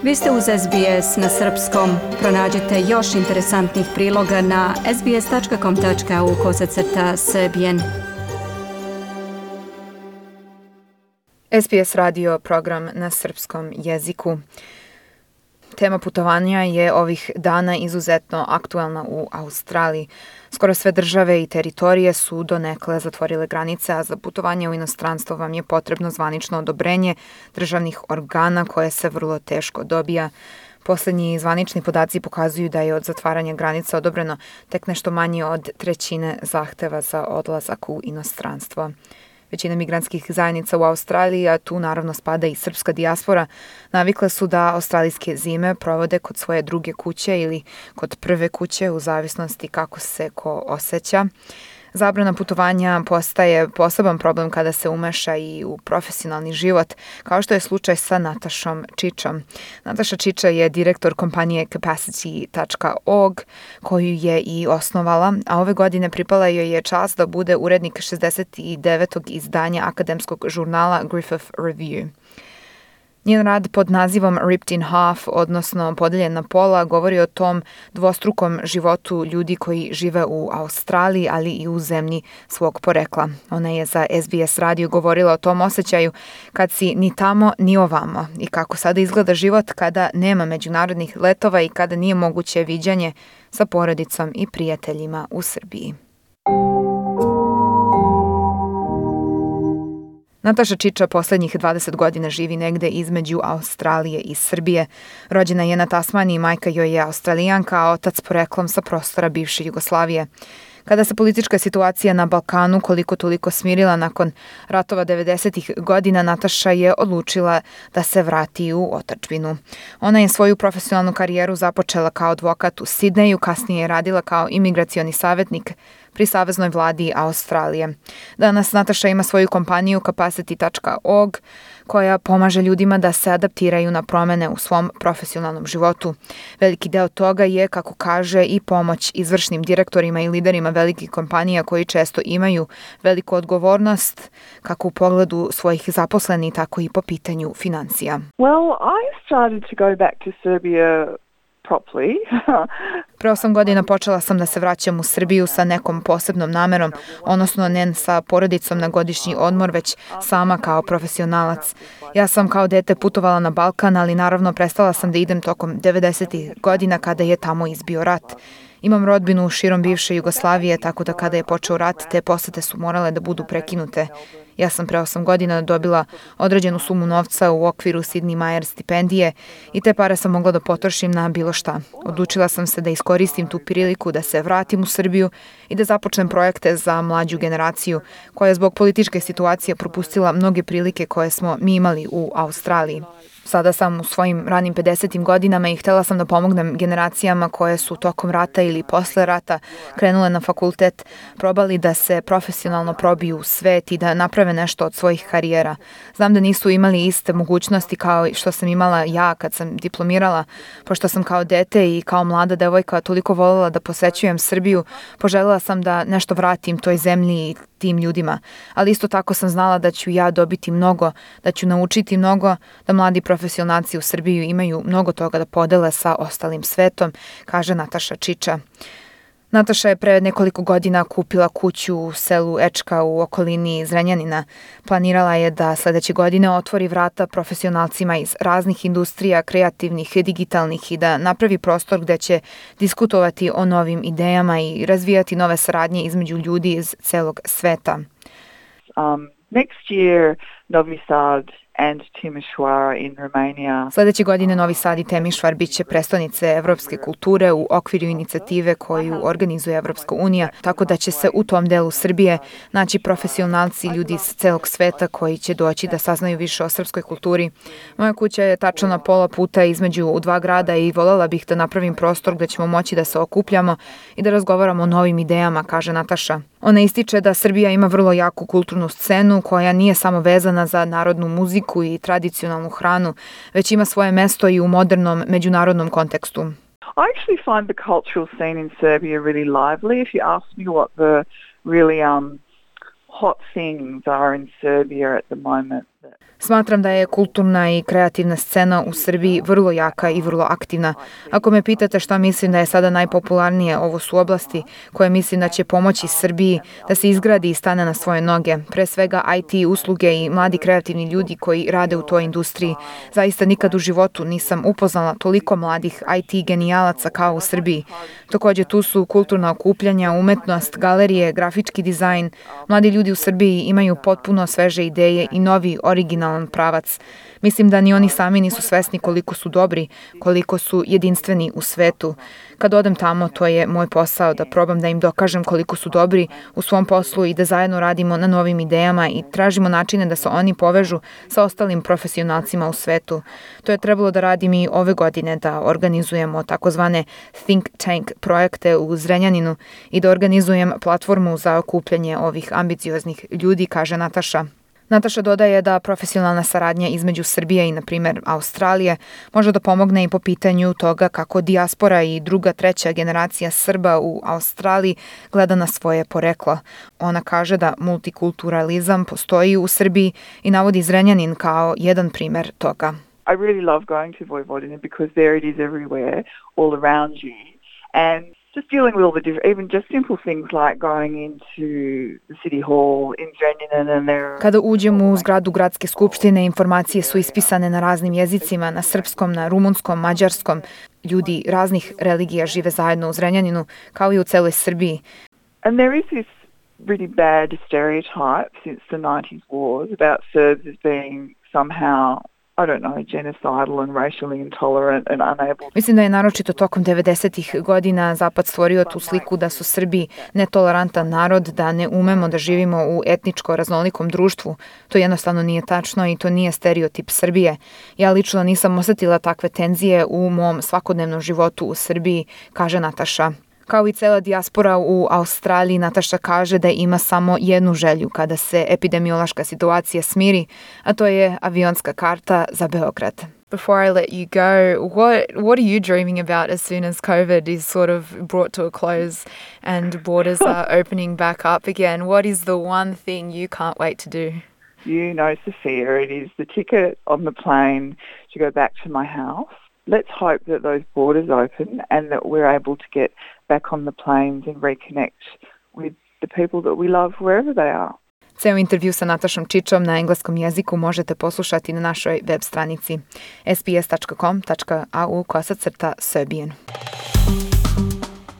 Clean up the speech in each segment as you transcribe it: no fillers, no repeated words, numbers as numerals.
Vi ste uz SBS na srpskom. Pronađite još interesantnih priloga na sbs.com.au/srbijen. SBS radio program na srpskom jeziku. Tema putovanja je ovih dana izuzetno aktualna u Australiji. Skoro sve države i teritorije su donekle zatvorile granice, a za putovanje u inostranstvo vam je potrebno zvanično odobrenje državnih organa koje se vrlo teško dobija. Poslednji zvanični podaci pokazuju da je od zatvaranja granica odobreno tek nešto manje od trećine zahteva za odlazak u inostranstvo. Većina migrantskih zajednica u Australiji, a tu naravno spada i srpska dijaspora, navikle su da australijske zime provode kod svoje druge kuće ili kod prve kuće u zavisnosti kako se ko osjeća. Zabrana putovanja postaje poseban problem kada se umeša i u profesionalni život, kao što je slučaj sa Natašom Čičom. Nataša Čiča je direktor kompanije Capacity.org, koju je i osnovala, a ove godine pripala joj je čast da bude urednik 69. izdanja akademskog žurnala Griffith Review. Njen rad pod nazivom Ripped in Half, odnosno Podeljen na pola, govori o tom dvostrukom životu ljudi koji žive u Australiji, ali i u zemlji svog porekla. Ona je za SBS radio govorila o tom osjećaju kad si ni tamo ni ovamo i kako sada izgleda život kada nema međunarodnih letova i kada nije moguće viđanje sa porodicom i prijateljima u Srbiji. Nataša Čiča poslednjih 20 godina živi negde između Australije i Srbije. Rođena je na Tasmaniji, majka joj je Australijanka, a otac poreklom sa prostora bivše Jugoslavije. Kada se politička situacija na Balkanu koliko toliko smirila nakon ratova 90-ih godina, Nataša je odlučila da se vrati u otadžbinu. Ona je svoju profesionalnu karijeru započela kao advokat u Sidneju, kasnije je radila kao imigracioni savjetnik pri saveznoj vladi Australije. Danas Nataša ima svoju kompaniju Capacity.org koja pomaže ljudima da se adaptiraju na promene u svom profesionalnom životu. Veliki deo toga je, kako kaže, i pomoć izvršnim direktorima i liderima velikih kompanija koji često imaju veliku odgovornost kako u pogledu svojih zaposlenih, tako i po pitanju financija. Well, I started to go back to Serbia properly. Pre 8 godina počela sam da se vraćam u Srbiju sa nekom posebnom namerom, odnosno ne sa porodicom na godišnji odmor, već sama kao profesionalac. Ja sam kao dete putovala na Balkan, ali naravno prestala sam da idem tokom 90-ih godina kada je tamo izbio rat. Imam rodbinu širom bivše Jugoslavije, tako da kada je počeo rat, te posete su morale da budu prekinute. Ja sam pre 8 godina dobila određenu sumu novca u okviru Sydney Myer stipendije i te pare sam mogla da potrošim na bilo šta. Odlučila sam se da iskoristim tu priliku da se vratim u Srbiju i da započnem projekte za mlađu generaciju koja je zbog političke situacije propustila mnoge prilike koje smo mi imali u Australiji. Sada sam u svojim ranim 50. godinama i htjela sam da pomognem generacijama koje su tokom rata ili posle rata krenule na fakultet, probali da se profesionalno probiju u svet i da naprave nešto od svojih karijera. Znam da nisu imali iste mogućnosti kao što sam imala ja kad sam diplomirala, pošto sam kao dete i kao mlada devojka toliko voljela da posećujem Srbiju, poželjela sam da nešto vratim toj zemlji i tim ljudima. Ali isto tako sam znala da ću ja dobiti mnogo, da ću naučiti mnogo, da mladi profesionalci u Srbiji imaju mnogo toga da podele sa ostalim svetom, kaže Nataša Čiča. Nataša je pre nekoliko godina kupila kuću u selu Ečka u okolini Zrenjanina. Planirala je da sledeće godine otvori vrata profesionalcima iz raznih industrija, kreativnih, digitalnih i da napravi prostor gde će diskutovati o novim idejama i razvijati nove saradnje između ljudi iz celog sveta. Next year, Novi Sad and Timișoara in Romania. Sledeće godine Novi Sad i Temišvar biće prestonice evropske kulture u okviru inicijative koju organizuje Evropska unija, tako da će se u tom delu Srbije naći profesionalci, ljudi iz celog sveta koji će doći da saznaju više o srpskoj kulturi. Moja kuća je tačno na pola puta između dva grada i voljela bih da napravim prostor gde ćemo moći da se okupljamo i da razgovaramo o novim idejama, kaže Nataša. Ona ističe da Srbija ima vrlo jaku kulturnu scenu koja nije samo vezana za narodnu muziku i tradicionalnu hranu, već ima svoje mesto i u modernom međunarodnom kontekstu. I actually find the cultural scene in Serbia really lively. If you ask me what the really hot things are in Serbia at the moment. Smatram da je kulturna i kreativna scena u Srbiji vrlo jaka i vrlo aktivna. Ako me pitate šta mislim da je sada najpopularnije, ovo su oblasti koje mislim da će pomoći Srbiji da se izgradi i stane na svoje noge. Pre svega IT usluge i mladi kreativni ljudi koji rade u toj industriji. Zaista nikad u životu nisam upoznala toliko mladih IT genijalaca kao u Srbiji. Takođe tu su kulturna okupljanja, umetnost, galerije, grafički dizajn. Mladi ljudi u Srbiji imaju potpuno sveže ideje i novi originalan pravac. Mislim da ni oni sami nisu svesni koliko su dobri, koliko su jedinstveni u svetu. Kad odem tamo, to je moj posao da probam da im dokažem koliko su dobri u svom poslu i da zajedno radimo na novim idejama i tražimo načine da se oni povežu sa ostalim profesionalcima u svetu. To je trebalo da radim i ove godine, da organizujemo takozvane think tank projekte u Zrenjaninu i da organizujem platformu za okupljanje ovih ambicioznih ljudi, kaže Nataša. Nataša dodaje da profesionalna saradnja između Srbije i, na primjer, Australije može da pomogne i po pitanju toga kako dijaspora i druga, treća generacija Srba u Australiji gleda na svoje poreklo. Ona kaže da multikulturalizam postoji u Srbiji i navodi Zrenjanin kao jedan primjer toga. I really love going to Vojvodina because there it is everywhere, all around you. And just dealing with all the different, even just simple things like going into the city hall in Zrenjanin and there. Kada uđemo u zgradu gradske skupštine, informacije su ispisane na raznim jezicima, na srpskom, na rumunskom, mađarskom. Ljudi raznih religija žive zajedno u Zrenjaninu, kao i u celoj Srbiji. And there is this really bad stereotype since the 90s wars about Serbs as being somehow, I don't know, genocidal and racially intolerant and unable. Mislim da je naročito tokom 90-ih godina Zapad stvorio tu sliku da su Srbi netolerantan narod, da ne umemo da živimo u etničko raznolikom društvu. To jednostavno nije tačno i to nije stereotip Srbije. Ja lično nisam osetila takve tenzije u mom svakodnevnom životu u Srbiji, kaže Nataša. Kao i cela dijaspora u Australiji, Nataša kaže da ima samo jednu želju kada se epidemiološka situacija smiri, a to je avionska karta za Beograd. Before I let you go, what are you dreaming about as soon as COVID is sort of brought to a close and borders are opening back up again? What is the one thing you can't wait to do? You know, Sophia, it is the ticket on the plane to go back to my house. Let's hope that those borders open and that we're able to get back on the planes and reconnect with the people that we love wherever they are. Ceo intervju sa Natašom Čičom na engleskom jeziku možete poslušati na našoj web stranici sbs.com.au/Serbian.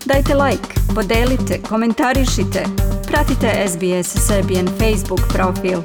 Dajte like, podelite, komentarišite. Pratite SBS Serbian Facebook profil.